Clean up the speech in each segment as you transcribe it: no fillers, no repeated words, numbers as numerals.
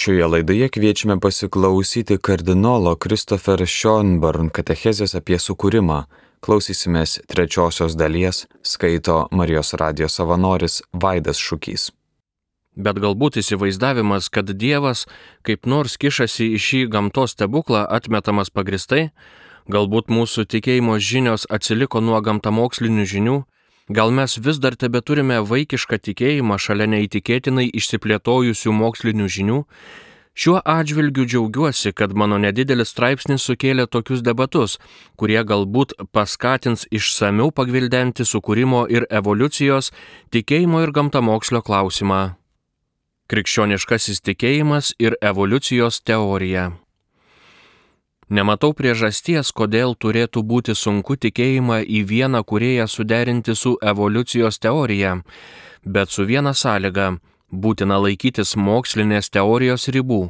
Šioje laidoje kviečiame pasiklausyti kardinolo Christopher Schonborn katechezės apie sukūrimą. Klausysimės trečiosios dalies, skaito Marijos radijo savanoris Vaidas Šukys. Bet galbūt įsivaizdavimas, kad Dievas kaip nors kišasi į šį gamtos stebuklą, atmetamas pagristai, galbūt mūsų tikėjimo žinios atsiliko nuo gamtamokslinių žinių, gal mes vis dar tebeturime vaikišką tikėjimą šalia neįtikėtinai išsiplėtojusių mokslinių žinių. Šiuo atžvilgiu džiaugiuosi, kad mano nedidelis straipsnis sukėlė tokius debatus, kurie galbūt paskatins išsamiau pagvildenti sukūrimo ir evoliucijos, tikėjimo ir gamtamokslio klausimą. Krikščioniškasis tikėjimas ir evoliucijos teorija. Nematau priežasties, kodėl turėtų būti sunku tikėjimą į vieną kūrėją suderinti su evoliucijos teorija, bet su viena sąlyga – būtina laikytis mokslinės teorijos ribų.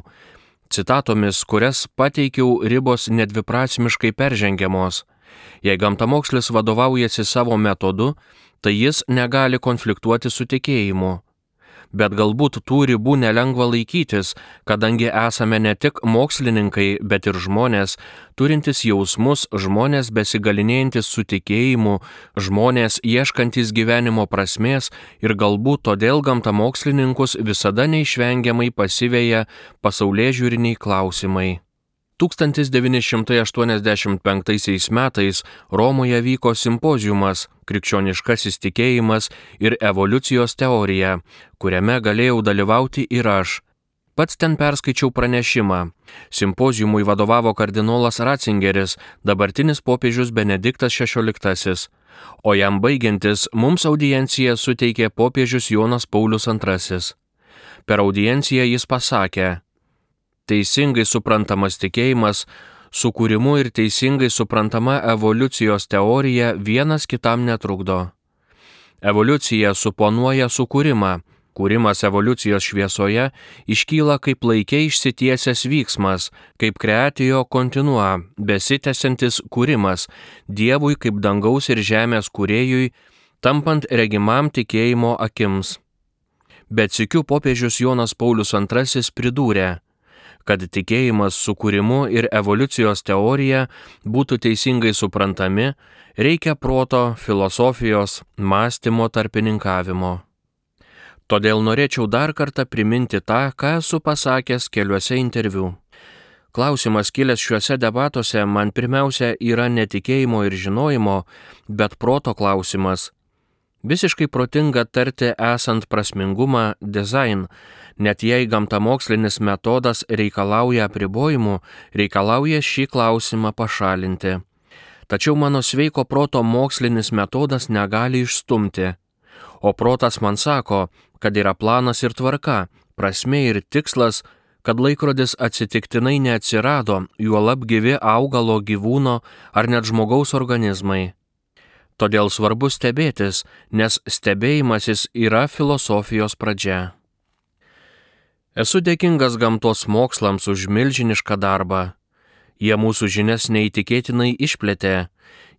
Citatomis, kurias pateikiau, ribos nedviprasmiškai peržengiamos. Jei gamtamokslis vadovaujasi savo metodu, tai jis negali konfliktuoti su tikėjimu. Bet galbūt tų ribų nelengva laikytis, kadangi esame ne tik mokslininkai, bet ir žmonės, turintys jausmus, žmonės besigalinėjantis su tikėjimu, žmonės ieškantys gyvenimo prasmės ir galbūt todėl gamtamokslininkus visada neišvengiamai pasiveja pasaulėžiūriniai klausimai. 1985 metais Romoje vyko simpoziumas Krikščioniškasis tikėjimas ir evoliucijos teorija, kuriame galėjau dalyvauti ir aš. Pats ten perskaičiau pranešimą. Simpoziumui vadovavo kardinolas Ratzingeris, dabartinis popiežius Benediktas XVI, o jam baigiantis mums audienciją suteikė popiežius Jonas Paulius II. Per audienciją jis pasakė: teisingai suprantamas tikėjimas, sukūrimu ir teisingai suprantama evoliucijos teorija vienas kitam netrukdo. Evoliucija suponuoja sukūrimą. Kūrimas evoliucijos šviesoje iškyla kaip laike išsitiesęs vyksmas, kaip creatio continua, besitęsiantis kūrimas, Dievui kaip dangaus ir žemės kūrėjui, tampant regimam tikėjimo akims. Bet sykiu popiežius Jonas Paulius II pridūrė, kad tikėjimas sukūrimu ir evoliucijos teorija būtų teisingai suprantami, reikia proto, filosofijos, mąstymo tarpininkavimo. Todėl norėčiau dar kartą priminti tą, ką esu pasakęs keliuose interviu. Klausimas kilęs šiuose debatuose man pirmiausia yra ne tikėjimo ir žinojimo, bet proto klausimas. Visiškai protinga tarti esant prasmingumą design, net jei gamtamokslinis metodas reikalauja apribojimų, reikalauja šį klausimą pašalinti. Tačiau mano sveiko proto mokslinis metodas negali išstumti. O protas man sako, kad yra planas ir tvarka, prasmė ir tikslas, kad laikrodis atsitiktinai neatsirado, juolab gyvi augalo, gyvūno ar net žmogaus organizmai. Todėl svarbu stebėtis, nes stebėjimasis yra filosofijos pradžia. Esu dėkingas gamtos mokslams už milžinišką darbą. Jie mūsų žinias neįtikėtinai išplėtė.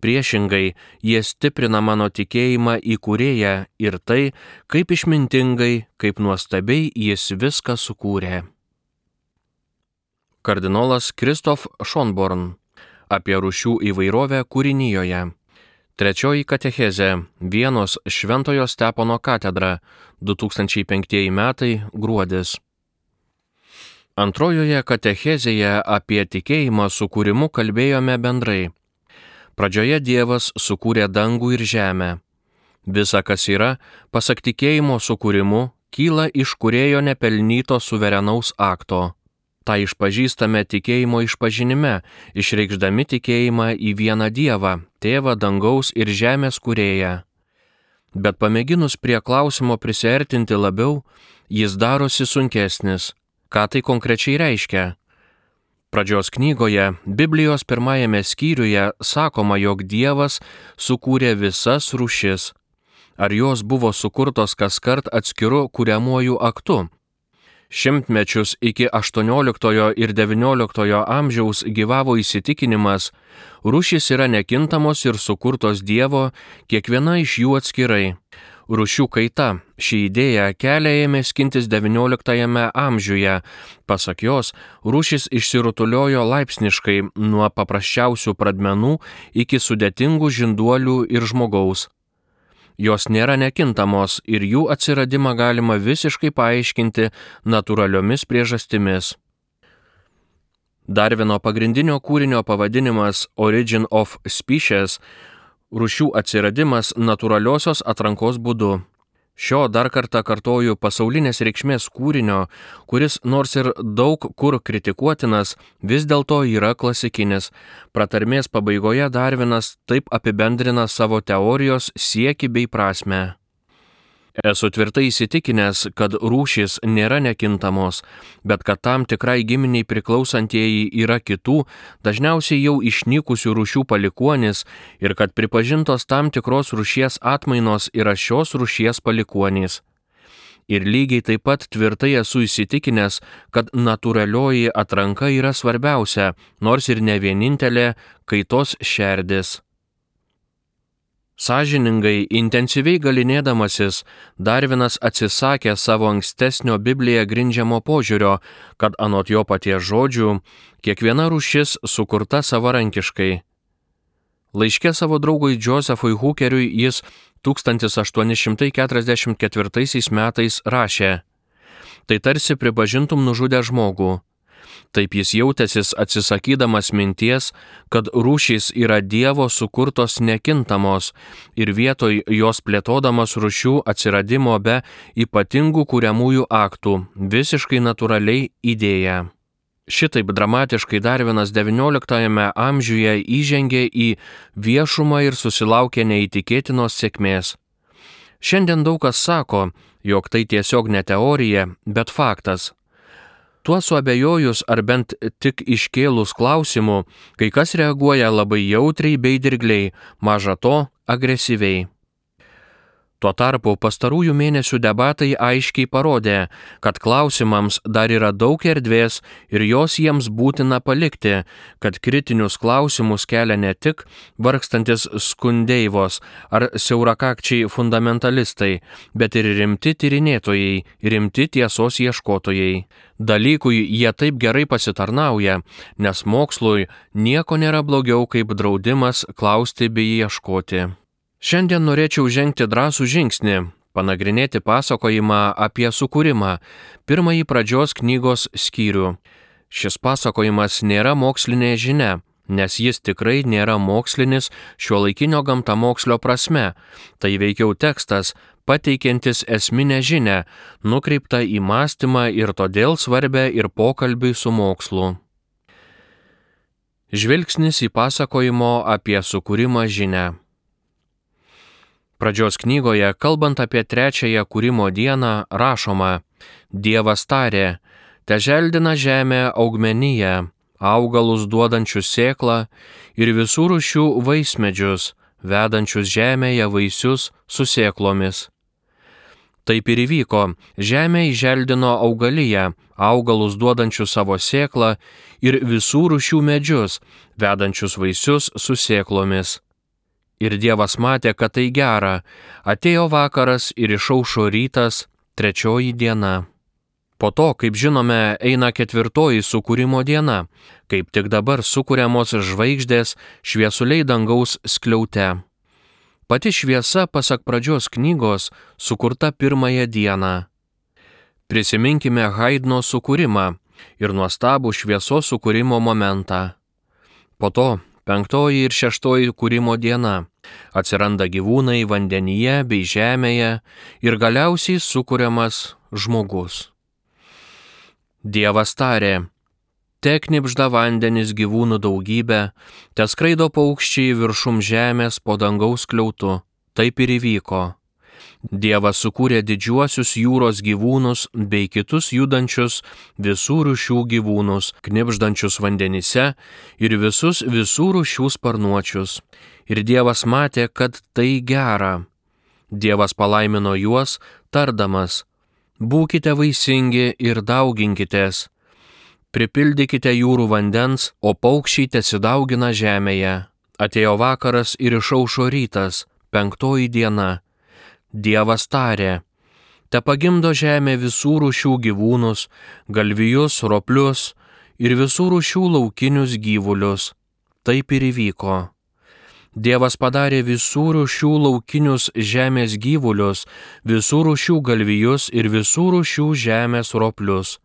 Priešingai, jie stiprina mano tikėjimą į kūrėją ir tai, kaip išmintingai, kaip nuostabiai jis viską sukūrė. Kardinolas Christoph Schonborn apie rūšių įvairovę kūrinijoje. Trečioji katechezė, Vienos Šventojo Stepono katedra, 2005 metai, gruodis. Antrojoje katechezėje apie tikėjimą sukūrimu kalbėjome bendrai. Pradžioje Dievas sukūrė dangų ir žemę. Visa, kas yra, pasak tikėjimo sukūrimu, kyla iš kūrėjo nepelnyto suverenaus akto. Ta išpažįstame tikėjimo išpažinime, išreikšdami tikėjimą į vieną Dievą, Tėvą dangaus ir žemės kūrėją. Bet pamėginus prie klausimo prisiartinti labiau, jis darosi sunkesnis. Ką tai konkrečiai reiškia? Pradžios knygoje, Biblijos pirmajame skyriuje sakoma, jog Dievas sukūrė visas rūšis. Ar jos buvo sukurtos kaskart atskiru kuriamuoju aktu? Šimtmečius iki 18 ir 19 amžiaus gyvavo įsitikinimas, rūšys yra nekintamos ir sukurtos Dievo, kiekviena iš jų atskirai. Rūšių kaita. Ši idėja kelią ėmė skintis XIX amžiuje. Pasak jos, rūšys išsirutuliojo laipsniškai nuo paprasčiausių pradmenų iki sudėtingų žinduolių ir žmogaus. Jos nėra nekintamos ir jų atsiradimą galima visiškai paaiškinti natūraliomis priežastimis. Darvino pagrindinio kūrinio pavadinimas Origin of Species – rūšių atsiradimas natūraliosios atrankos būdu. Šio dar kartą kartoju pasaulinės reikšmės kūrinio, kuris nors ir daug kur kritikuotinas, vis dėlto yra klasikinis. Pratarmės pabaigoje Darvinas taip apibendrina savo teorijos siekį bei prasmę. Esu tvirtai įsitikinęs, kad rūšys nėra nekintamos, bet kad tam tikrai giminiai priklausantieji yra kitų, dažniausiai jau išnykusių rūšių palikuonys ir kad pripažintos tam tikros rūšies atmainos yra šios rūšies palikuonys. Ir lygiai taip pat tvirtai esu įsitikinęs, kad natūralioji atranka yra svarbiausia, nors ir ne vienintelė kaitos šerdis. Sąžiningai, intensyviai galinėdamasis, Darvinas atsisakė savo ankstesnio Biblija grindžiamo požiūrio, kad anot jo paties žodžių, kiekviena rūšis sukurta savarankiškai. Laiške savo draugui Josephui Hookeriui jis 1844 metais rašė: Tai tarsi pripažintum nužudę žmogų. Taip jis jautėsis atsisakydamas minties, kad rūšys yra Dievo sukurtos nekintamos ir vietoj jos plėtodamas rūšių atsiradimo be ypatingų kuriamųjų aktų, visiškai natūraliai idėja. Šitaip dramatiškai Darvinas XIX amžiuje įžengė į viešumą ir susilaukė neįtikėtinos sėkmės. Šiandien daug kas sako, jog tai tiesiog ne teorija, bet faktas. Tuo suabejojus ar bent tik iškėlus klausimų, kai kas reaguoja labai jautriai bei dirgliai, maža to agresyviai. Tuo tarpu pastarųjų mėnesių debatai aiškiai parodė, kad klausimams dar yra daug erdvės ir jos jiems būtina palikti, kad kritinius klausimus kelia ne tik vargstantis skundeivos ar siaurakakčiai fundamentalistai, bet ir rimti tyrinėtojai, rimti tiesos ieškotojai. Dalykui jie taip gerai pasitarnauja, nes mokslui nieko nėra blogiau kaip draudimas klausti bei ieškoti. Šiandien norėčiau žengti drąsų žingsnį, panagrinėti pasakojimą apie sukūrimą, pirmąjį pradžios knygos skyrių. Šis pasakojimas nėra mokslinė žinia, nes jis tikrai nėra mokslinis šiuolaikinio gamtamokslio prasme. Tai veikiau tekstas, pateikiantis esminę žinią, nukreiptą į mąstymą ir todėl svarbę ir pokalbiui su mokslu. Žvilgsnis į pasakojimo apie sukūrimą žinią. Pradžios knygoje, kalbant apie trečiąją kūrimo dieną, rašoma: Dievas tarė, teželdina žemė augmeniją, augalus duodančius sėklą ir visų rūšių vaismedžius, vedančius žemėje vaisius su sėklomis. Taip ir įvyko, žemė įželdino augaliją, augalus duodančius savo sėklą ir visų rūšių medžius, vedančius vaisius su sėklomis. Ir Dievas matė, kad tai gera. Atėjo vakaras ir išaušo rytas, trečioji diena. Po to, kaip žinome, eina ketvirtoji sukūrimo diena, kaip tik dabar sukuriamos žvaigždės šviesuliai dangaus skliaute. Pati šviesa, pasak pradžios knygos, sukurta pirmąją dieną. Prisiminkime Haidno sukūrimą ir nuostabų šviesos sukūrimo momentą. Po to penktoji ir šeštoji kūrimo diena. Atsiranda gyvūnai vandenyje bei žemėje ir galiausiai sukuriamas žmogus. Dievas tarė, te knibžda vandenis gyvūnų daugybė, te skraido paukščiai viršum žemės po dangaus skliautu. Taip ir įvyko. Dievas sukūrė didžiuosius jūros gyvūnus bei kitus judančius visų rūšių gyvūnus, knibždančius vandenyse ir visus visų rūšių sparnuočius. Ir Dievas matė, kad tai gera. Dievas palaimino juos, tardamas: Būkite vaisingi ir dauginkitės. Pripildykite jūrų vandens, o paukščiai tesidaugina žemėje. Atėjo vakaras ir išaušo rytas, penktoji diena. Dievas tarė: te pagimdo žemė visų rūšių gyvūnus, galvijus, roplius ir visų rūšių laukinius gyvulius. Taip ir įvyko. Dievas padarė visų rūšių laukinius žemės gyvulius, visų rūšių galvijus ir visų rūšių žemės roplius.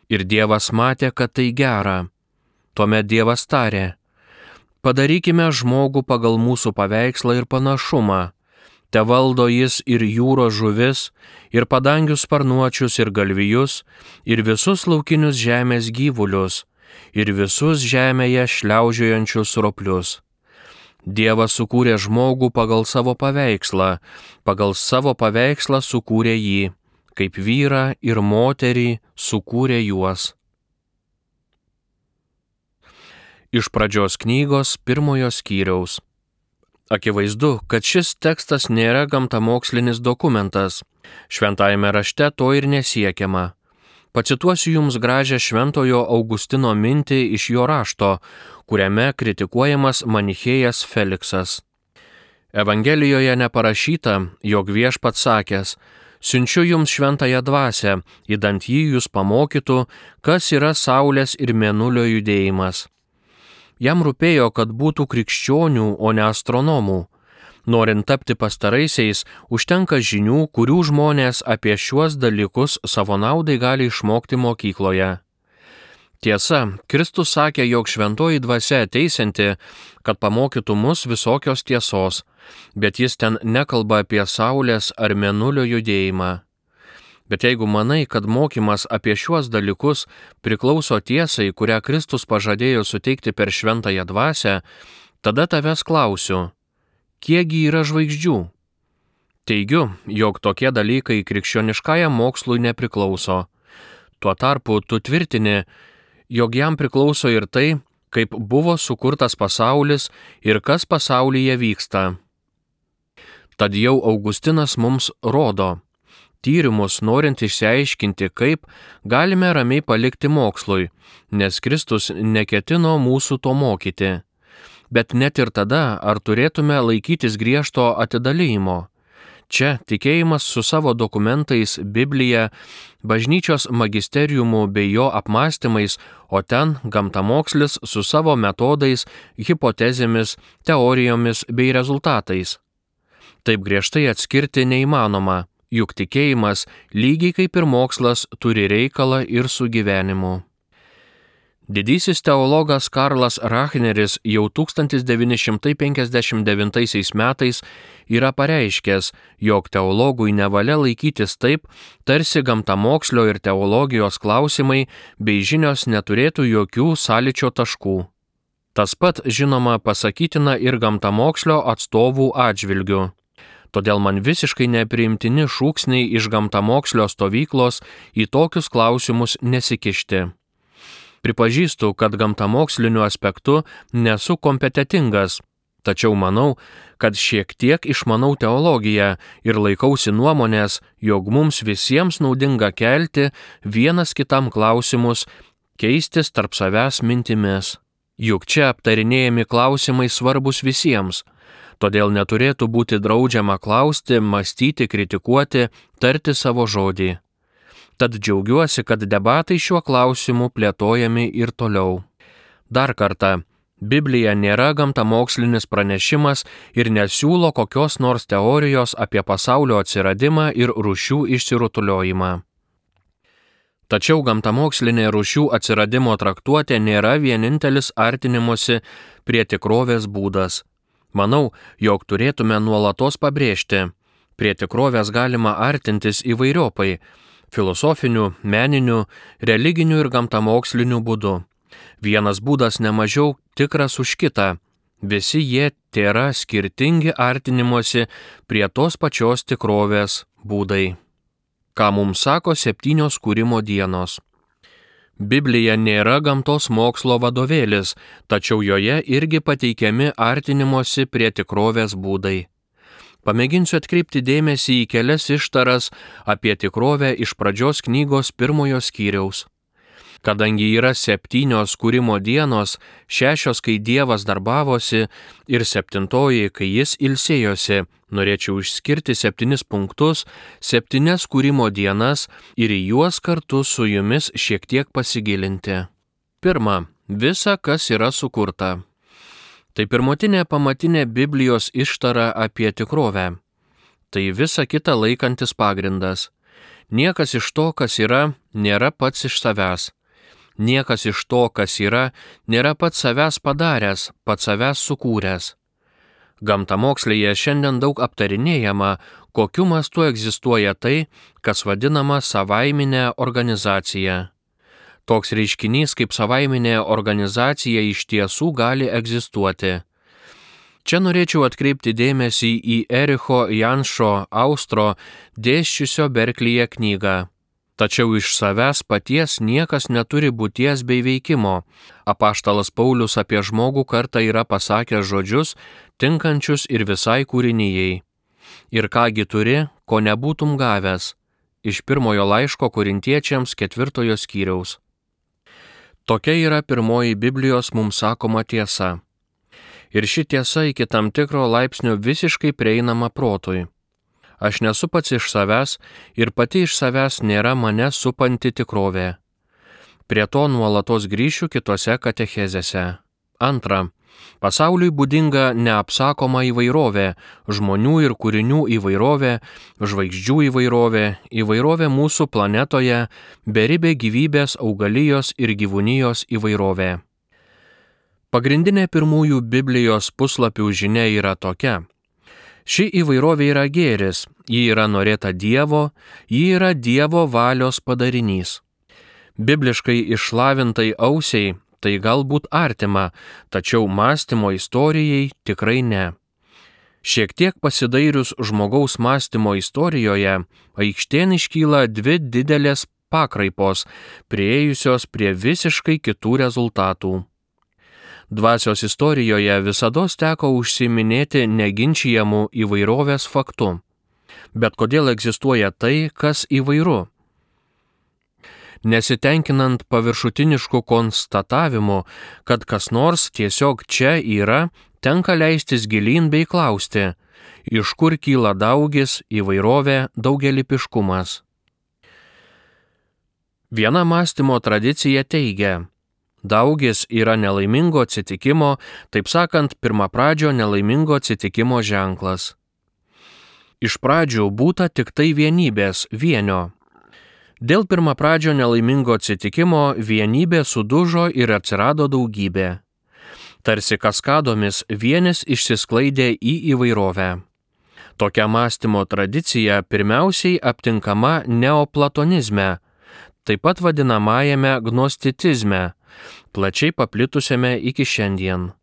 Ir Dievas matė, kad tai gera. Tuomet Dievas tarė: padarykime žmogų pagal mūsų paveikslą ir panašumą. Te valdo jis ir jūros žuvis, ir padangių sparnuočius, ir galvijus, ir visus laukinius žemės gyvulius, ir visus žemėje šliaužiojančius roplius. Dievas sukūrė žmogų pagal savo paveikslą sukūrė jį, kaip vyrą ir moterį sukūrė juos. Iš Pradžios knygos 1 skyriaus. Akivaizdu, kad šis tekstas nėra gamtamokslinis dokumentas. Šventajame rašte to ir nesiekiama. Pacituosiu jums gražią Šventojo Augustino mintį iš jo rašto, kuriame kritikuojamas manichėjas Feliksas. Evangelijoje neparašyta, jog Viešpats sakęs: siunčiu jums šventąją dvasią, idant jį jūs pamokytų, kas yra saulės ir mėnulio judėjimas. Jam rūpėjo, kad būtų krikščionių, o ne astronomų. Norint tapti pastaraisiais, užtenka žinių, kurių žmonės apie šiuos dalykus savo naudai gali išmokti mokykloje. Tiesa, Kristus sakė, jog šventoji dvasia ateisianti, kad pamokytų mus visokios tiesos, bet jis ten nekalba apie saulės ar mėnulio judėjimą. Bet jeigu manai, kad mokymas apie šiuos dalykus priklauso tiesai, kurią Kristus pažadėjo suteikti per šventąją dvasią, tada tavęs klausiu: kiekgi yra žvaigždžių? Teigiu, jog tokie dalykai krikščioniškajam mokslui nepriklauso. Tuo tarpu tu tvirtini, jog jam priklauso ir tai, kaip buvo sukurtas pasaulis ir kas pasaulyje vyksta. Tad jau Augustinas mums rodo: tyrimus norint išsiaiškinti, kaip, galime ramiai palikti mokslui, nes Kristus neketino mūsų to mokyti. Bet net ir tada, ar turėtume laikytis griežto atidalijimo? Čia tikėjimas su savo dokumentais, Biblija, bažnyčios magisteriumu bei jo apmąstymais, o ten gamtamokslis su savo metodais, hipotezėmis, teorijomis bei rezultatais. Taip griežtai atskirti neįmanoma, juk tikėjimas, lygiai kaip ir mokslas, turi reikalą ir su gyvenimu. Didysis teologas Karlas Rachneris jau 1959 metais yra pareiškęs, jog teologui nevalia laikytis taip, tarsi gamtamokslio ir teologijos klausimai bei žinios neturėtų jokių sąlyčio taškų. Tas pat, žinoma, pasakytina ir gamtamokslio atstovų atžvilgiu. Todėl man visiškai nepriimtini šūksniai iš gamtamokslio stovyklos į tokius klausimus nesikišti. Pripažįstu, kad gamtamoksliniu aspektu nesu kompetentingas, tačiau manau, kad šiek tiek išmanau teologiją ir laikausi nuomonės, jog mums visiems naudinga kelti vienas kitam klausimus, keistis tarp savęs mintimis. Juk čia aptarinėjami klausimai svarbus visiems, todėl neturėtų būti draudžiama klausti, mąstyti, kritikuoti, tarti savo žodį. Tad džiaugiuosi, kad debatai šiuo klausimu plėtojami ir toliau. Dar kartą, Biblija nėra gamtamokslinis pranešimas ir nesiūlo kokios nors teorijos apie pasaulio atsiradimą ir rūšių išsirutuliojimą. Tačiau gamtamokslinė rūšių atsiradimo traktuotė nėra vienintelis artinimosi prie tikrovės būdas. Manau, jog turėtume nuolatos pabrėžti, prie tikrovės galima artintis įvairiopai, filosofiniu, meniniu, religiniu ir gamtamoksliniu būdu. Vienas būdas nemažiau tikras už kitą. Visi jie tėra skirtingi artinimosi prie tos pačios tikrovės būdai. Ką mums sako 7 kūrimo dienos? Biblija nėra gamtos mokslo vadovėlis, tačiau joje irgi pateikiami artinimosi prie tikrovės būdai. Pamėginsiu atkreipti dėmesį į kelias ištaras apie tikrovę iš Pradžios knygos 1 skyriaus. Kadangi yra 7 kūrimo dienos, 6, kai Dievas darbavosi, ir 7, kai jis ilsėjosi, norėčiau išskirti 7 punktus, 7 kūrimo dienas ir į juos kartu su jumis šiek tiek pasigilinti. 1. Visa, kas yra sukurta. Tai pirmutinė pamatinė Biblijos ištara apie tikrovę. Tai visa kita laikantis pagrindas. Niekas iš to, kas yra, nėra pats iš savęs. Niekas iš to, kas yra, nėra pats savęs padaręs, pats savęs sukūręs. Gamtamokslėje šiandien daug aptarinėjama, kokiu mastu egzistuoja tai, kas vadinama savaiminė organizacija. Toks reiškinys kaip savaiminė organizacija iš tiesų gali egzistuoti. Čia norėčiau atkreipti dėmesį į Ericho Janšo Austro dėsčiusio Berklyje knygą. Tačiau iš savęs paties niekas neturi būties bei veikimo. Apaštalas Paulius apie žmogų kartą yra pasakęs žodžius, tinkančius ir visai kūrinijai. Ir kągi turi, ko nebūtum gavęs. Iš 1 laiško Korintiečiams 4 skyriaus. Tokia yra pirmoji Biblijos mums sakoma tiesa. Ir ši tiesa iki tam tikro laipsnio visiškai prieinama protui. Aš nesu pats iš savęs ir pati iš savęs nėra mane supanti tikrovė. Prie to nuolatos grįšiu kitose katechezėse. 2. Pasauliui būdinga neapsakoma įvairovė, žmonių ir kūrinių įvairovė, žvaigždžių įvairovė, įvairovė mūsų planetoje, beribė gyvybės, augalijos ir gyvūnijos įvairovė. Pagrindinė pirmųjų Biblijos puslapių žinia yra tokia. Ši įvairovė yra gėris, ji yra norėta Dievo, ji yra Dievo valios padarinys. Bibliškai išlavintai ausiai tai galbūt artima, tačiau mąstymo istorijai tikrai ne. Šiek tiek pasidairius žmogaus mąstymo istorijoje, aikštėn iškyla 2 didelės pakraipos, priėjusios prie visiškai kitų rezultatų. Dvasios istorijoje visados teko užsiiminėti neginčijamų įvairovės faktu. Bet kodėl egzistuoja tai, kas įvairu? Nesitenkinant paviršutinišku konstatavimu, kad kas nors tiesiog čia yra, tenka leistis gilyn bei klausti, iš kur kyla daugis, įvairovė, daugelypiškumas. Viena mąstymo tradicija teigia, daugis yra nelaimingo atsitikimo, taip sakant, pirmapradžio nelaimingo atsitikimo ženklas. Iš pradžių būta tik tai vienybės, vienio. Dėl pirmapradžio nelaimingo atsitikimo vienybė sudužo ir atsirado daugybė. Tarsi kaskadomis vienis išsisklaidė į įvairovę. Tokia mąstymo tradicija pirmiausiai aptinkama neoplatonizme, taip pat vadinamajame gnosticizme, plačiai paplitusiame iki šiandien.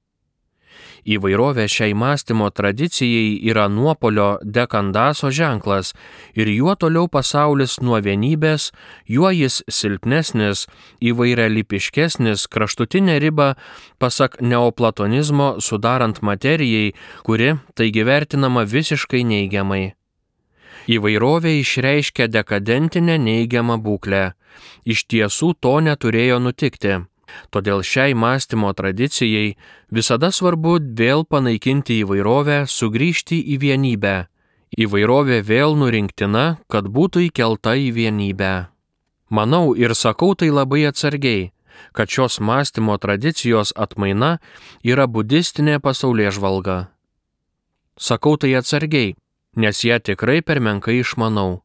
Įvairovė šiai mąstymo tradicijai yra nuopolio dekandaso ženklas ir juo toliau pasaulis nuo vienybės, juo jis silpnesnis, įvairialypiškesnis, kraštutinė riba, pasak neoplatonizmo, sudarant materijai, kuri taigi vertinama visiškai neigiamai. Įvairovė išreiškia dekadentinę neigiamą būklę. Iš tiesų to neturėjo nutikti. Todėl šiai mąstymo tradicijai visada svarbu vėl panaikinti įvairovę, sugrįžti į vienybę. Įvairovė vėl nurinktina, kad būtų įkelta į vienybę. Manau ir sakau tai labai atsargiai, kad šios mąstymo tradicijos atmaina yra budistinė pasaulėžvalga. Sakau tai atsargiai, nes ją tikrai per menkai išmanau.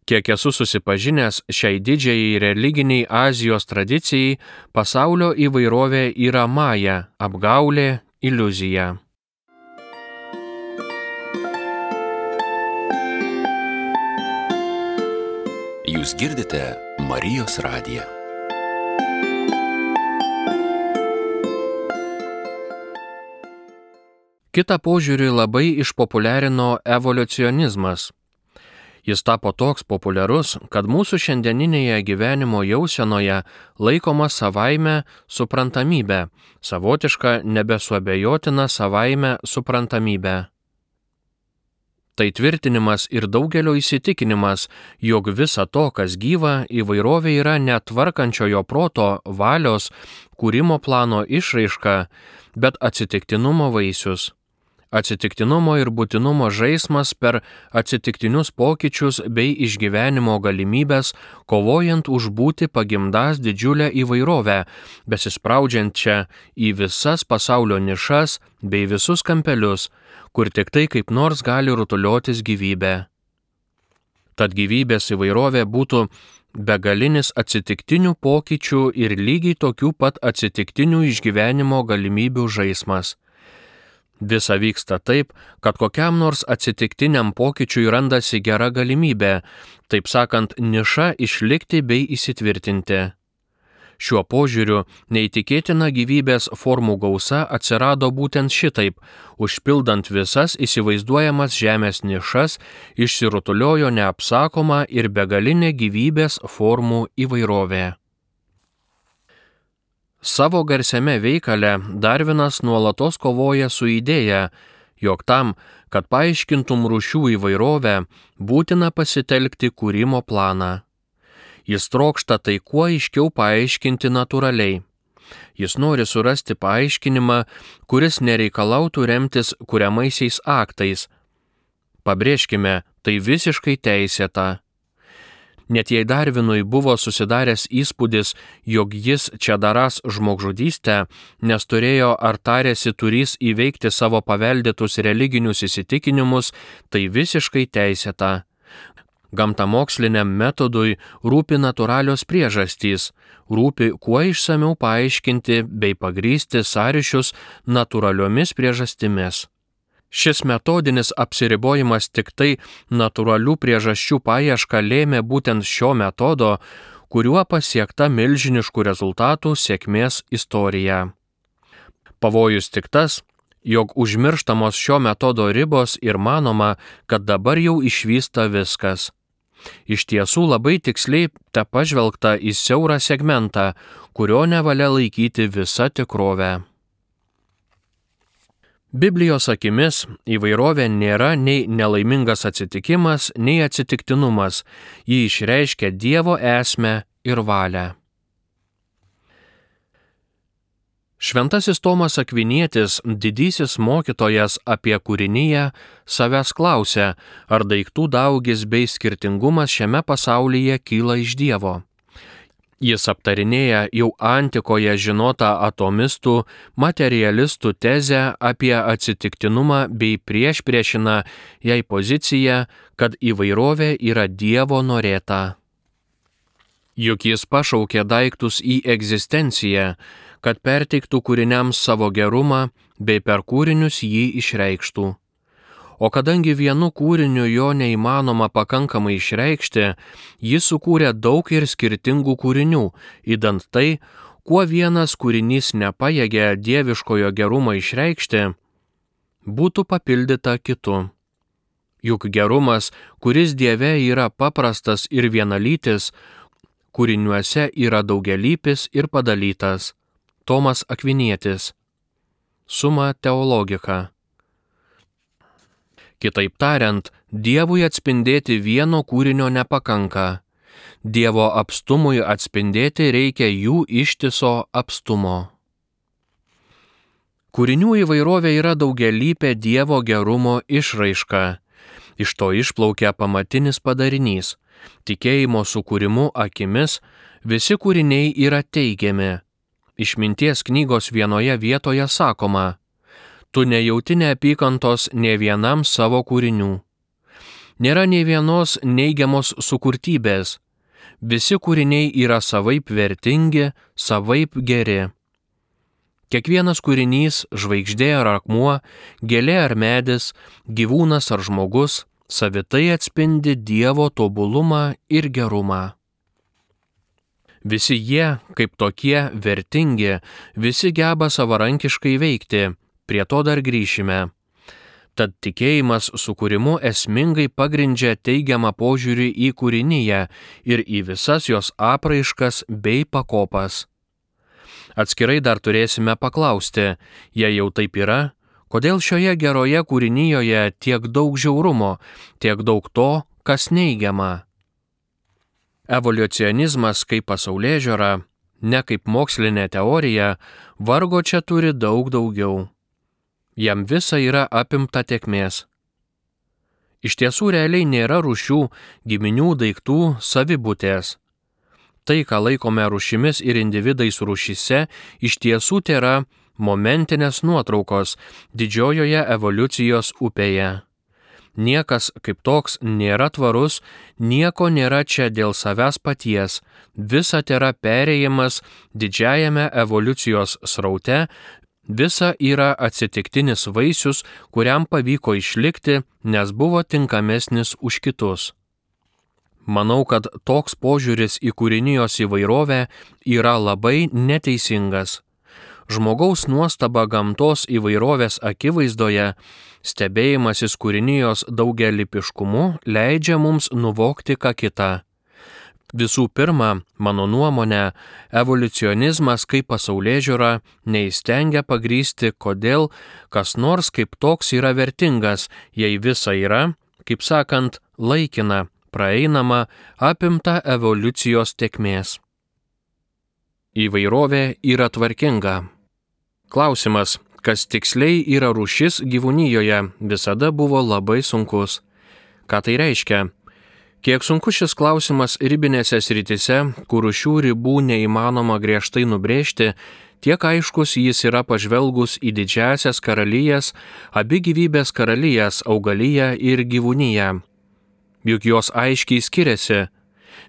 Kiek esu susipažinęs šiai didžiai religiniai Azijos tradicijai, pasaulio įvairovė yra maja, apgaulė, iliuzija. Jūs girdite Marijos radiją. Kitą požiūrį labai išpopuliarino evoliucionizmas. Jis tapo toks populiarus, kad mūsų šiandieninėje gyvenimo jausenoje laikoma savaime suprantamybė, savotiška nebesuabejotina savaime suprantamybė. Tai tvirtinimas ir daugelio įsitikinimas, jog visa to, kas gyva, įvairovė yra netvarkančiojo proto, valios, kūrimo plano išraiška, bet atsitiktinumo vaisius. Atsitiktinumo ir būtinumo žaismas per atsitiktinius pokyčius bei išgyvenimo galimybės, kovojant už būti pagimdas didžiulę įvairovę, besispraudžiančią į visas pasaulio nišas bei visus kampelius, kur tik tai kaip nors gali rutuliotis gyvybė. Tad gyvybės įvairovė būtų begalinis atsitiktinių pokyčių ir lygiai tokių pat atsitiktinių išgyvenimo galimybių žaismas. Visa vyksta taip, kad kokiam nors atsitiktiniam pokyčiui randasi gera galimybė, taip sakant, niša išlikti bei įsitvirtinti. Šiuo požiūriu neįtikėtina gyvybės formų gausa atsirado būtent šitaip, užpildant visas įsivaizduojamas žemės nišas, išsirutuliojo neapsakoma ir begalinė gyvybės formų įvairovė. Savo garsiame veikale Darvinas nuolatos kovoja su idėja, jog tam, kad paaiškintum rūšių įvairovę, būtina pasitelkti kūrimo planą. Jis trokšta tai kuo aiškiau paaiškinti natūraliai. Jis nori surasti paaiškinimą, kuris nereikalautų remtis kuriamaisiais aktais. Pabrėžkime, tai visiškai teisėta. Net jei Darvinui buvo susidaręs įspūdis, jog jis čia darąs žmogžudystę, nes turėjo ar tarėsi turys įveikti savo paveldėtus religinius įsitikinimus, tai visiškai teisėta. Gamtamoksliniam metodui rūpi natūralios priežastys, rūpi kuo išsamiau paaiškinti bei pagrįsti sąryšius natūraliomis priežastimis. Šis metodinis apsiribojimas tik tai natūralių priežasčių paiešką lėmė būtent šio metodo, kuriuo pasiekta milžiniškų rezultatų sėkmės istorija. Pavojus tik tas, jog užmirštamos šio metodo ribos ir manoma, kad dabar jau išvysta viskas. Iš tiesų labai tiksliai tepažvelgta į siaurą segmentą, kurio nevalia laikyti visa tikrovė. Biblijos akimis įvairovė nėra nei nelaimingas atsitikimas, nei atsitiktinumas, ji išreiškia Dievo esmę ir valią. Šventasis Tomas Akvinietis, didysis mokytojas apie kūriniją, savęs klausė, ar daiktų daugis bei skirtingumas šiame pasaulyje kyla iš Dievo. Jis aptarinėja jau antikoje žinotą atomistų, materialistų tezę apie atsitiktinumą bei priešpriešina jai poziciją, kad įvairovė yra Dievo norėta. Juk jis pašaukė daiktus į egzistenciją, kad perteiktų kūriniams savo gerumą bei per kūrinius jį išreikštų. O kadangi vienu kūriniu jo neįmanoma pakankamai išreikšti, jis sukūrė daug ir skirtingų kūrinių, idant tai, kuo vienas kūrinys nepajėgė dieviškojo gerumo išreikšti, būtų papildyta kitu. Juk gerumas, kuris Dieve yra paprastas ir vienalytis, kūriniuose yra daugialypis ir padalytas. Tomas Akvinietis. Summa Theologica. Kitaip tariant, Dievui atspindėti vieno kūrinio nepakanka. Dievo apstumui atspindėti reikia jų ištiso apstumo. Kūrinių įvairovė yra daugialypė Dievo gerumo išraiška. Iš to išplaukia pamatinis padarinys. Tikėjimo sukūrimu akimis visi kūriniai yra teigiami. Išminties knygos vienoje vietoje sakoma: tu nejauti neapykantos nė vienam savo kūrinių. Nėra nė vienos neigiamos sukurtybės. Visi kūriniai yra savaip vertingi, savaip geri. Kiekvienas kūrinys, žvaigždė ar akmuo, gėlė ar medis, gyvūnas ar žmogus, savitai atspindi Dievo tobulumą ir gerumą. Visi jie, kaip tokie, vertingi, visi geba savarankiškai veikti, prie to dar grįšime. Tad tikėjimas sukūrimu esmingai pagrindžia teigiamą požiūrį į kūriniją ir į visas jos apraiškas bei pakopas. Atskirai dar turėsime paklausti, jei jau taip yra, Kodėl šioje geroje kūrinyjoje tiek daug žiaurumo, tiek daug to, kas neigiama? Evoliucionizmas kaip pasaulėžiūra, ne kaip mokslinė teorija, vargo čia turi daug daugiau. Jam visa yra apimta tėkmės. Iš tiesų realiai nėra rūšių, giminių, daiktų, savibūtės. Tai, ką laikome rūšimis ir individais rūšyse, iš tiesų tėra momentinės nuotraukos didžiojoje evoliucijos upėje. Niekas kaip toks nėra tvarus, nieko nėra čia dėl savęs paties, visa tėra perėjimas didžiajame evoliucijos sraute, visa yra atsitiktinis vaisius, kuriam pavyko išlikti, nes buvo tinkamesnis už kitus. Manau, kad toks požiūris į kūrinijos įvairovę yra labai neteisingas. Žmogaus nuostaba gamtos įvairovės akivaizdoje, stebėjimasis kūrinijos daugialypiškumu leidžia mums nuvokti ką kitą. Visų pirma, mano nuomonė, evoliucionizmas kaip pasaulėžiūra neįstengia pagrįsti, kodėl kas nors kaip toks yra vertingas, jei visa yra, kaip sakant, laikina, praeinama, apimta evoliucijos tėkmės. Įvairovė yra tvarkinga. Klausimas, kas tiksliai yra rūšis gyvūnijoje, visada buvo labai sunkus. Ką tai reiškia? Kiek sunkus šis klausimas ribinėse srityse, kur rūšių ribų neįmanoma griežtai nubrėžti, tiek aiškus jis yra pažvelgus į didžiąsias karalijas, abi gyvybės karalijas, augaliją ir gyvūniją. Juk jos aiškiai skiriasi,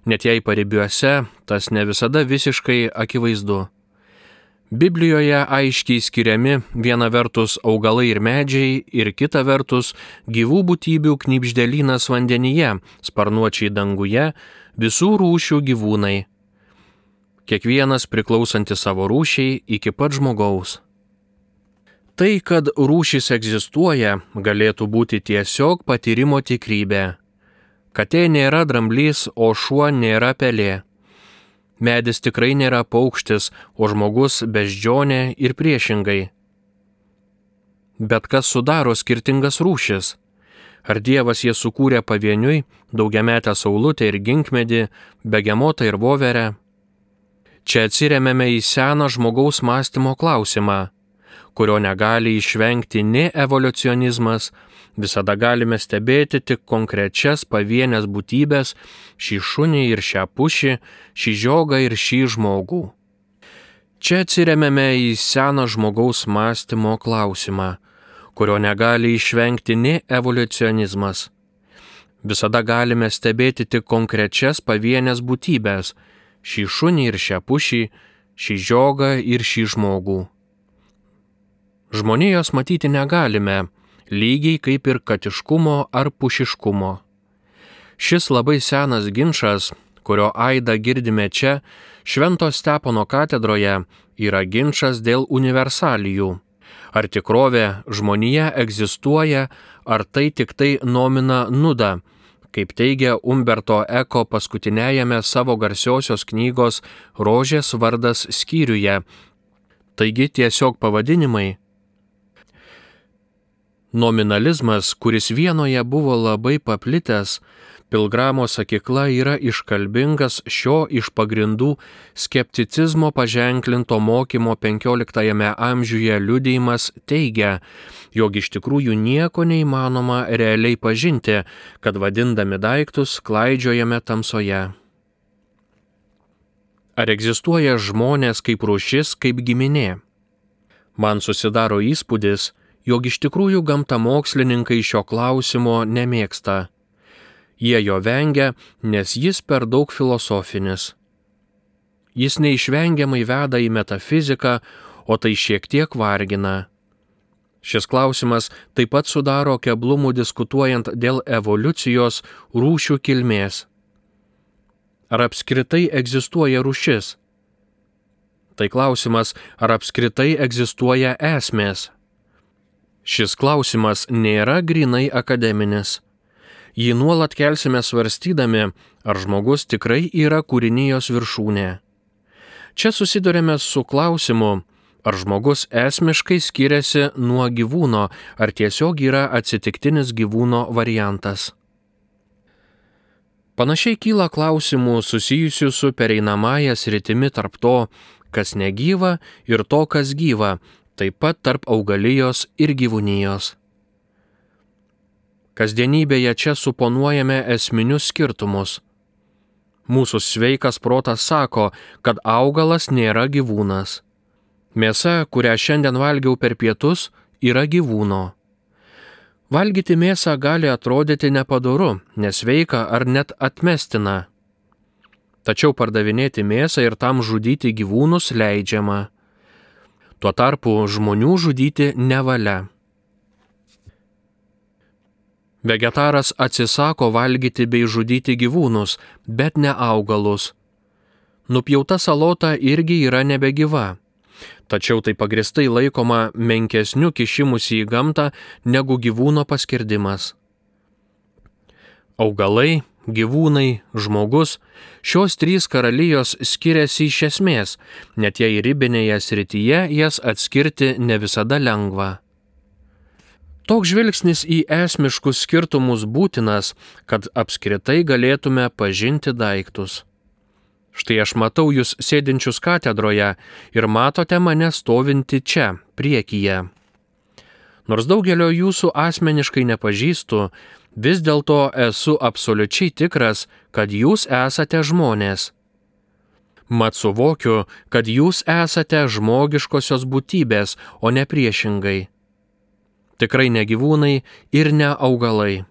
net jei paribiuose tas ne visada visiškai akivaizdu. Biblijoje aiškiai skiriami viena vertus augalai ir medžiai ir kita vertus gyvų būtybių knibždelynas vandenyje, sparnuočiai danguje, visų rūšių gyvūnai. Kiekvienas priklausantis savo rūšiai iki pat žmogaus. Tai, kad rūšis egzistuoja, galėtų būti tiesiog patyrimo tikrybė. Katė nėra dramblys, o šuo nėra pelė. Medis tikrai nėra paukštis, o žmogus beždžionė ir priešingai. Bet kas sudaro skirtingas rūšis? Ar Dievas jas sukūrė pavieniui, daugiametę saulutę ir ginkmedį, begemotą ir voverę? Čia atsiremiame į seną žmogaus mąstymo klausimą, kurio negali išvengti nei evoliucionizmas, visada galime stebėti tik konkrečias pavienės būtybės, šį šunį ir šią pušį, šį žiogą ir šį žmogų. Čia atsiremiame į seną žmogaus mąstymo klausimą, kurio negali išvengti nei evoliucionizmas. Visada galime stebėti tik konkrečias pavienės būtybės, šį šunį ir šią pušį, šį žiogą ir šį žmogų. Žmonijos matyti negalime, lygiai kaip ir katiškumo ar pušiškumo. Šis labai senas ginčas, kurio aidą girdime čia, Švento Stepono katedroje, yra ginčas dėl universalijų. Ar tikrovė žmonija egzistuoja, ar tai tik tai nomina nuda, kaip teigia Umberto Eko paskutiniajame savo garsiosios knygos Rožės vardas skyriuje. Taigi tiesiog pavadinimai. Nominalizmas, kuris vienoje buvo labai paplitęs, Pilgramo sakykla yra iškalbingas šio iš pagrindų skepticizmo paženklinto mokymo 15 amžiuje liudijimas teigia, jog iš tikrųjų nieko neįmanoma realiai pažinti, kad vadindami daiktus klaidžiojame tamsoje. Ar egzistuoja žmonės kaip rūšis, kaip giminė? Man susidaro įspūdis, jog iš tikrųjų gamtamokslininkai šio klausimo nemėgsta. Jie jo vengia, nes jis per daug filosofinis. Jis neišvengiamai veda į metafiziką, o tai šiek tiek vargina. Šis klausimas taip pat sudaro keblumų diskutuojant dėl evoliucijos rūšių kilmės. Ar apskritai egzistuoja rūšis? Tai klausimas, ar apskritai egzistuoja esmės? Šis klausimas nėra grynai akademinis. Jį nuolat kelsime svarstydami, ar žmogus tikrai yra kūrinijos viršūnė. Čia susidurėme su klausimu, Ar žmogus esmiškai skiriasi nuo gyvūno, ar tiesiog yra atsitiktinis gyvūno variantas? Panašiai kyla klausimų susijusių su pereinamąja sritimi tarp to, kas negyva, ir to, kas gyva, taip pat tarp augalijos ir gyvūnijos. Kasdienybėje čia suponuojame esminius skirtumus. Mūsų sveikas protas sako, kad augalas nėra gyvūnas. Mėsa, kurią šiandien valgiau per pietus, yra gyvūno. Valgyti mėsą gali atrodyti nepadoru, nesveika ar net atmestina. Tačiau pardavinėti mėsą ir tam žudyti gyvūnus leidžiama. Tuo tarpu žmonių žudyti nevalia. Vegetaras atsisako valgyti bei žudyti gyvūnus, bet ne augalus. Nupjauta salota irgi yra nebegyva. Tačiau tai pagrįstai laikoma menkesniu kišimusi į gamtą negu gyvūno paskirdimas. Augalai, gyvūnai, žmogus – šios trys karalijos skiriasi iš esmės, net jei ribinėje srityje jas atskirti ne visada lengva. Toks žvilgsnis į esmiškus skirtumus būtinas, kad apskritai galėtume pažinti daiktus. Štai aš matau jūs sėdinčius katedroje ir matote mane stovinti čia, priekyje. Nors daugelio jūsų asmeniškai nepažįstu, vis dėlto esu absoliučiai tikras, kad jūs esate žmonės. Mat suvokiu, kad jūs esate žmogiškosios būtybės, o ne priešingai. Tikrai ne gyvūnai ir ne augalai.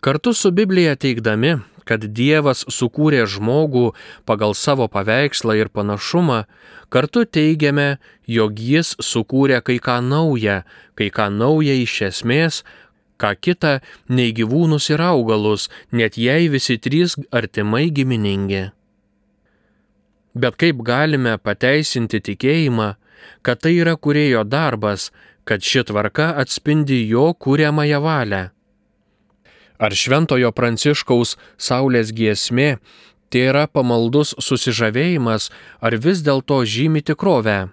Kartu su Biblija teigdami, kad Dievas sukūrė žmogų pagal savo paveikslą ir panašumą, kartu teigiame, jog Jis sukūrė kai ką nauja iš esmės, ką kita nei gyvūnus ir augalus, net jei visi trys artimai giminingi. Bet kaip galime pateisinti tikėjimą, kad tai yra kūrėjo darbas, kad ši tvarka atspindi jo kuriamąją valią? Ar Šventojo Pranciškaus Saulės giesmė tai yra pamaldus susižavėjimas, ar vis dėlto žymi tikrovę?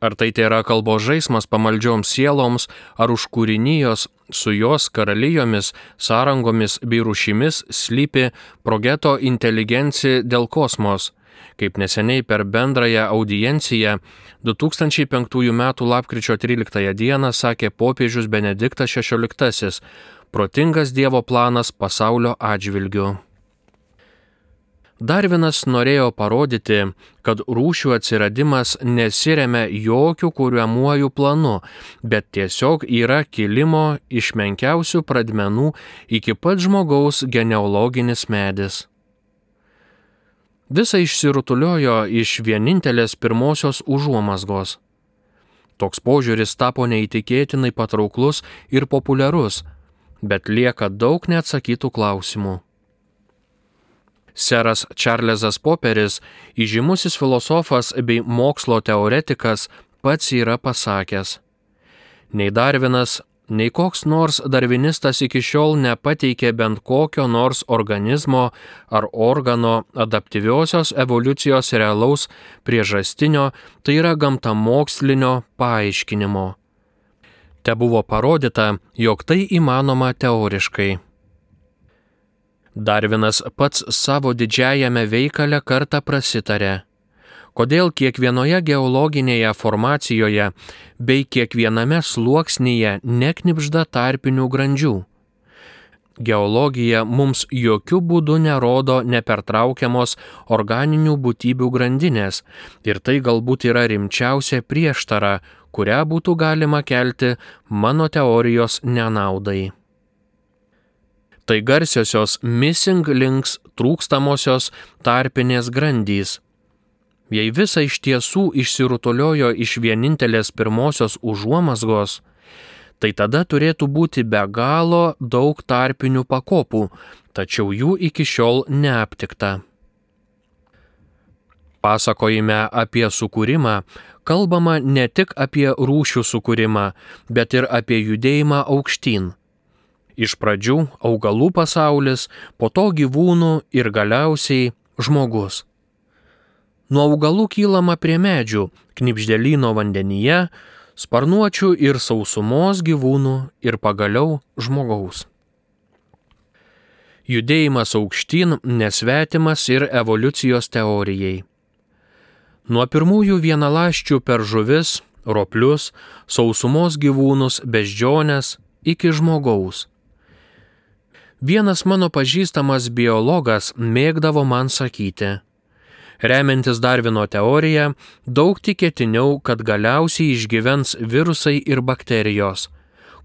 Ar tai yra kalbos žaismas pamaldžioms sieloms, ar už kūrinijos su jos karalijomis, sąrangomis bei rūšimis slypi progeto inteligencija dėl kosmos, kaip neseniai per bendrąją audienciją 2005 m. lapkričio 13 d. sakė popiežius Benediktas XVI, protingas Dievo planas pasaulio atžvilgiu. Darvinas norėjo parodyti, kad rūšių atsiradimas nesiremia jokių kuriamuojų planu, bet tiesiog yra kilimo iš menkiausių pradmenų iki pat žmogaus genealoginis medis. Visa išsirutuliojo iš vienintelės pirmosios užuomazgos. Toks požiūris tapo neįtikėtinai patrauklus ir populiarus, bet lieka daug neatsakytų klausimų. Seras Čarlzas Poperis, įžymusis filosofas bei mokslo teoretikas, pats yra pasakęs: nei Darvinas, nei koks nors darvinistas iki šiol nepateikė bent kokio nors organizmo ar organo adaptyviosios evoliucijos realaus priežastinio, tai yra gamtamokslinio paaiškinimo. Te buvo parodyta, jog tai įmanoma teoriškai. Darvinas pats savo didžiajame veikale kartą prasitarė, kodėl kiekvienoje geologinėje formacijoje bei kiekviename sluoksnyje neknibžda tarpinių grandžių. Geologija mums jokių būdų nerodo nepertraukiamos organinių būtybių grandinės ir tai galbūt yra rimčiausia prieštara, kurią būtų galima kelti mano teorijos nenaudai. Tai garsiosios missing links, trūkstamosios tarpinės grandys. Jei visa iš tiesų išsirutuliojo iš vienintelės pirmosios užuomazgos, tai tada turėtų būti be galo daug tarpinių pakopų, tačiau jų iki šiol neaptikta. Pasakojime apie sukūrimą kalbama ne tik apie rūšių sukūrimą, bet ir apie judėjimą aukštyn. Iš pradžių augalų pasaulis, po to gyvūnų ir galiausiai žmogus. Nuo augalų kylama prie medžių, knibždėlyno vandenyje, sparnuočių ir sausumos gyvūnų ir pagaliau žmogaus. Judėjimas aukštyn nesvetimas ir evoliucijos teorijai. Nuo pirmųjų vienaląsčių per žuvis, roplius, sausumos gyvūnus, beždžiones iki žmogaus. Vienas mano pažįstamas biologas mėgdavo man sakyti: remiantis Darvino teorija, daug tikėtiniau, kad galiausiai išgyvens virusai ir bakterijos.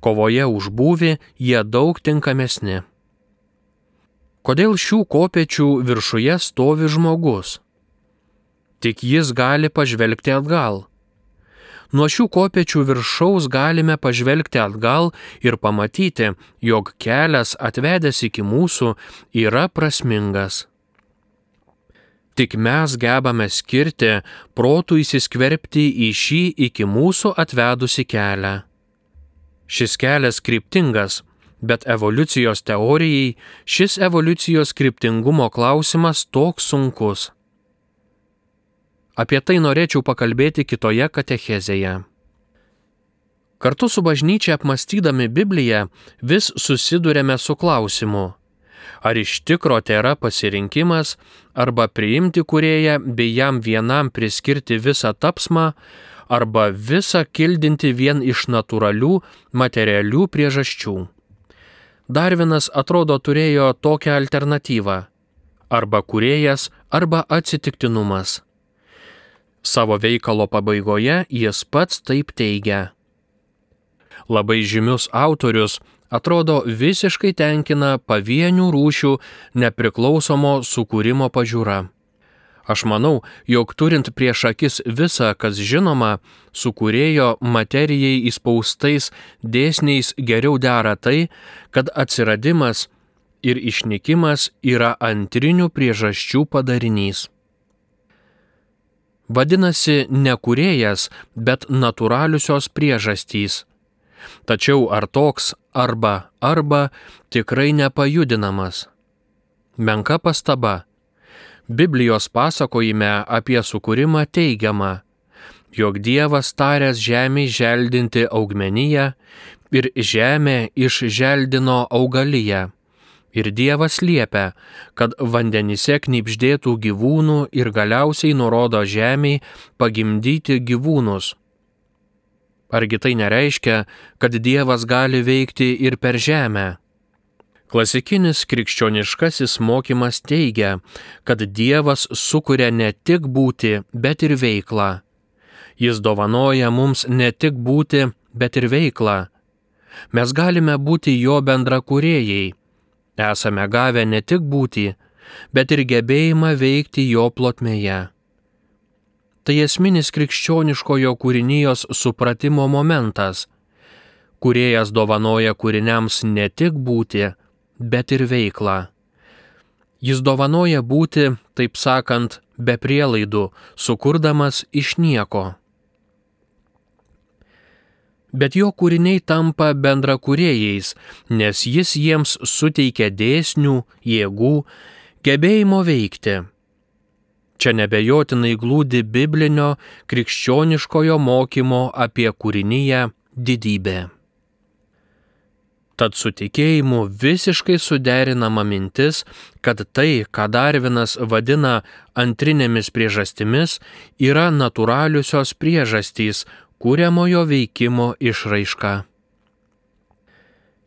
Kovoje už būvį jie daug tinkamesni. Kodėl šių kopėčių viršuje stovi žmogus? Tik jis gali pažvelgti atgal. Nuo šių kopėčių viršaus galime pažvelgti atgal ir pamatyti, jog kelias atvedęs iki mūsų yra prasmingas. Tik mes gebame skirti protų įsiskverbti į šį iki mūsų atvedusi kelią. Šis kelias kryptingas, bet evoliucijos teorijai šis evoliucijos kryptingumo klausimas toks sunkus. Apie tai norėčiau pakalbėti kitoje katechezėje. Kartu su bažnyčia apmąstydami Bibliją vis susiduriame su klausimu: ar iš tikro tai yra pasirinkimas, arba priimti kūrėją bei jam vienam priskirti visą tapsmą, arba visą kildinti vien iš natūralių, materialių priežasčių. Darvinas atrodo turėjo tokią alternatyvą: arba kūrėjas, arba atsitiktinumas. Savo veikalo pabaigoje jis pats taip teigia. Labai žymius autorius atrodo visiškai tenkina pavienių rūšių nepriklausomo sukūrimo pažiūra. Aš manau, jog turint prieš akis visą, kas žinoma, sukūrėjo materijai įspaustais dėsniais geriau dera tai, kad atsiradimas ir išnykimas yra antrinių priežasčių padarinys. Vadinasi, ne kūrėjas, bet natūraliusios priežastys. Tačiau ar toks arba tikrai nepajudinamas? Menka pastaba. Biblijos pasakojime apie sukūrimą teigiama, jog Dievas taręs žemei želdinti augmeniją ir žemė išželdino augaliją. Ir Dievas liepia, kad vandenyse knibždėtų gyvūnų ir galiausiai nurodo žemei pagimdyti gyvūnus. Argi tai nereiškia, kad Dievas gali veikti ir per žemę? Klasikinis krikščioniškasis mokymas teigia, kad Dievas sukuria ne tik būtį, bet ir veiklą. Jis dovanoja mums ne tik būtį, bet ir veiklą. Mes galime būti jo bendrakūrėjai. Esame gavę ne tik būtį, bet ir gebėjimą veikti jo plotmėje. Tai esminis krikščioniškojo kūrinijos supratimo momentas. Kūrėjas dovanoja kūriniams ne tik būtį, bet ir veiklą. Jis dovanoja būti, taip sakant, be prielaidų, sukurdamas iš nieko. Bet jo kūriniai tampa bendrakūrėjais, nes jis jiems suteikia dėsnių, jėgų, gebėjimo veikti. Čia nebejotinai glūdi biblinio krikščioniškojo mokymo apie kūriniją didybė. Tad su tikėjimu visiškai suderinama mintis, kad tai, ką Darvinas vadina antrinėmis priežastimis, yra natūraliusios priežastys, kuriamojo veikimo išraiška.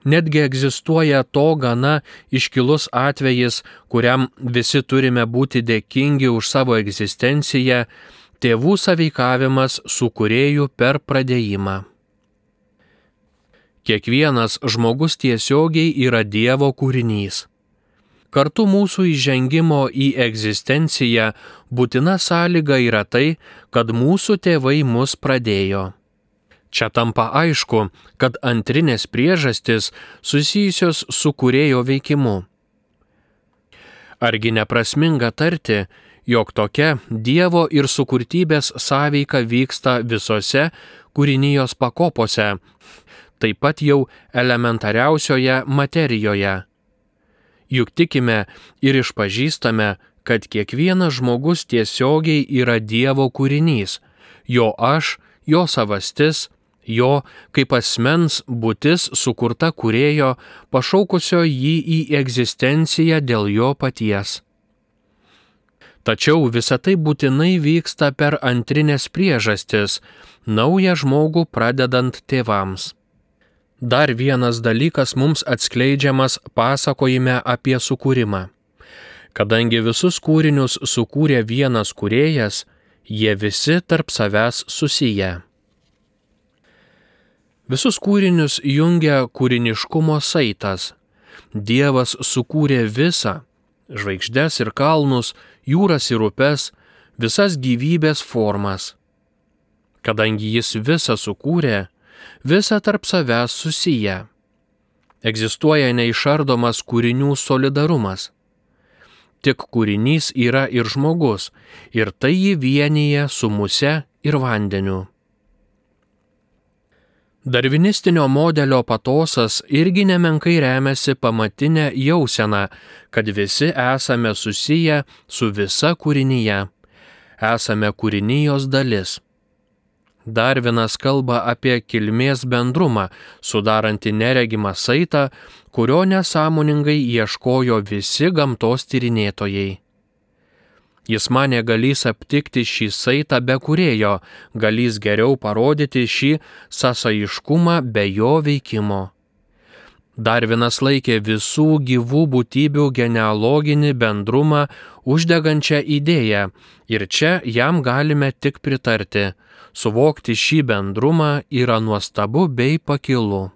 Netgi egzistuoja to gana iškilus atvejis, kuriam visi turime būti dėkingi už savo egzistenciją, tėvų sąveikavimas su kūrėju per pradėjimą. Kiekvienas žmogus tiesiogiai yra Dievo kūrinys. Kartu mūsų įžengimo į egzistenciją būtina sąlyga yra tai, kad mūsų tėvai mus pradėjo. Čia tampa aišku, kad antrinės priežastys susijusios su kūrėjo veikimu. Argi neprasminga tarti, jog tokia Dievo ir sukurtybės sąveika vyksta visose kūrinijos pakopose, taip pat jau elementariausioje materijoje. Juk tikime ir išpažįstame, kad kiekvienas žmogus tiesiogiai yra Dievo kūrinys, jo aš, jo savastis, jo kaip asmens būtis sukurta Kūrėjo, pašaukusio jį į egzistenciją dėl jo paties. Tačiau visa tai būtinai vyksta per antrinės priežastis, naują žmogų pradedant tėvams. Dar vienas dalykas mums atskleidžiamas pasakojime apie sukūrimą. Kadangi visus kūrinius sukūrė vienas kūrėjas, jie visi tarp savęs susiję. Visus kūrinius jungia kūriniškumo saitas. Dievas sukūrė visą – žvaigždes ir kalnus, jūras ir upes, visas gyvybės formas. Kadangi jis visą sukūrė, visą tarp savęs susiję. Egzistuoja neišardomas kūrinių solidarumas. Tik kūrinys yra ir žmogus, ir tai jį vienyje su muse ir vandeniu. Darvinistinio modelio patosas irgi nemenkai remiasi pamatinę jauseną, kad visi esame susiję su visa kūrinyje, esame kūrinijos dalis. Darvinas kalba apie kilmės bendrumą, sudarantį neregimą saitą, kurio nesąmoningai ieškojo visi gamtos tyrinėtojai. Jis manė galys aptikti šį saitą be Kūrėjo, galys geriau parodyti šį sąsaiškumą be jo veikimo. Darvinas laikė visų gyvų būtybių genealoginį bendrumą uždegančią idėją ir čia jam galime tik pritarti. Suvokti šį bendrumą yra nuostabu bei pakilu.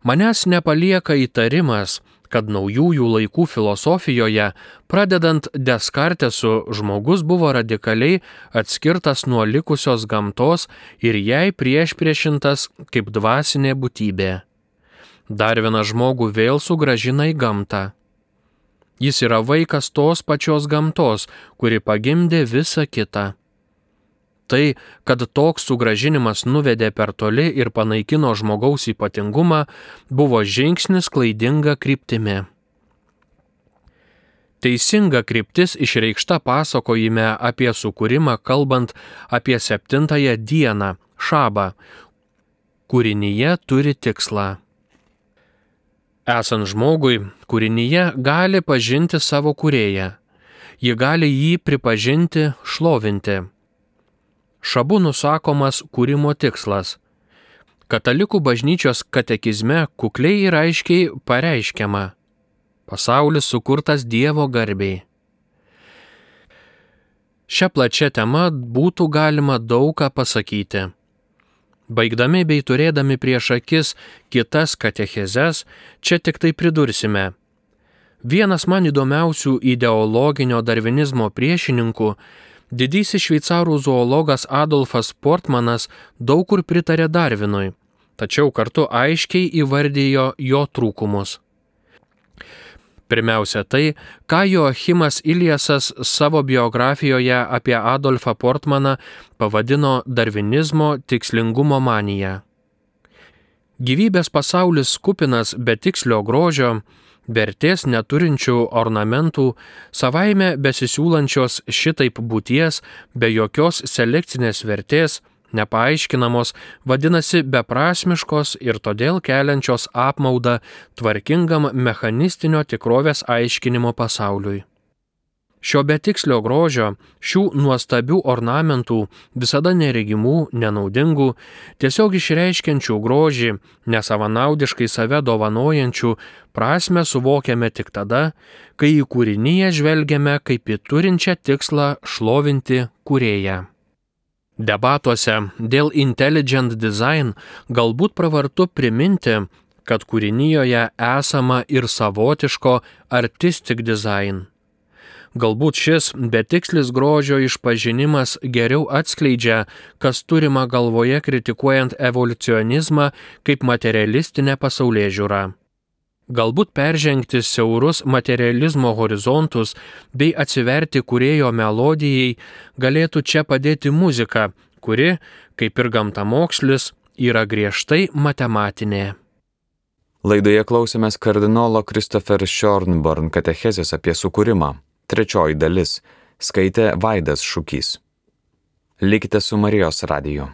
Manęs nepalieka įtarimas, kad naujųjų laikų filosofijoje, pradedant Deskartesu, žmogus buvo radikaliai atskirtas nuo likusios gamtos ir jai priešpriešintas kaip dvasinė būtybė. Darvinas žmogų vėl sugrąžina į gamtą. Jis yra vaikas tos pačios gamtos, kuri pagimdė visą kitą. Tai, kad toks sugrąžinimas nuvedė per toli ir panaikino žmogaus ypatingumą, buvo žingsnis klaidinga kryptimi. Teisinga kryptis išreikšta pasakojime apie sukūrimą, kalbant apie 7-ąją dieną, šabą. Kūrinyje turi tikslą. Esant žmogui, kūrinyje gali pažinti savo kūrėją. Ji gali jį pripažinti, šlovinti. Šabu nusakomas kūrimo tikslas. Katalikų bažnyčios katekizme kukliai ir aiškiai pareiškiama: pasaulis sukurtas Dievo garbei. Šią plačią temą būtų galima daug ką pasakyti. Baigdami bei turėdami prieš akis kitas katechezes, čia tik tai pridursime. Vienas man įdomiausių ideologinio darvinizmo priešininkų, didysis šveicarų zoologas Adolfas Portmanas, daug kur pritarė Darvinui, tačiau kartu aiškiai įvardijo jo trūkumus. Pirmiausia tai, ką Joachimas Iliasas savo biografijoje apie Adolfą Portmaną pavadino darvinizmo tikslingumo manija. Gyvybės pasaulis kupinas betikslio grožio, vertės neturinčių ornamentų, savaime besisiūlančios šitaip būties, be jokios selekcinės vertės, nepaaiškinamos, vadinasi beprasmiškos ir todėl keliančios apmaudą tvarkingam mechanistinio tikrovės aiškinimo pasauliui. Šio betikslio grožio, šių nuostabių ornamentų, visada neregimų, nenaudingų, tiesiog išreiškiančių grožį, nesavanaudiškai save dovanojančių, prasmę suvokiame tik tada, kai į kūriniją žvelgiame kaip į turinčią tikslą šlovinti kūrėją. Debatuose dėl intelligent design galbūt pravartu priminti, kad kūrinijoje esama ir savotiško artistic design. Galbūt šis betikslis grožio išpažinimas geriau atskleidžia, kas turima galvoje kritikuojant evoliucionizmą kaip materialistinę pasaulėžiūrą. Galbūt peržengti siaurus materializmo horizontus bei atsiverti kūrėjo melodijai galėtų čia padėti muzika, kuri, kaip ir gamtamokslis, yra griežtai matematinė. Laidoje klausėmės kardinolo Christopher Schonborn katechezės apie sukūrimą. Trečioji dalis. Skaitė Vaidas Šukys. Likite su Marijos radiju.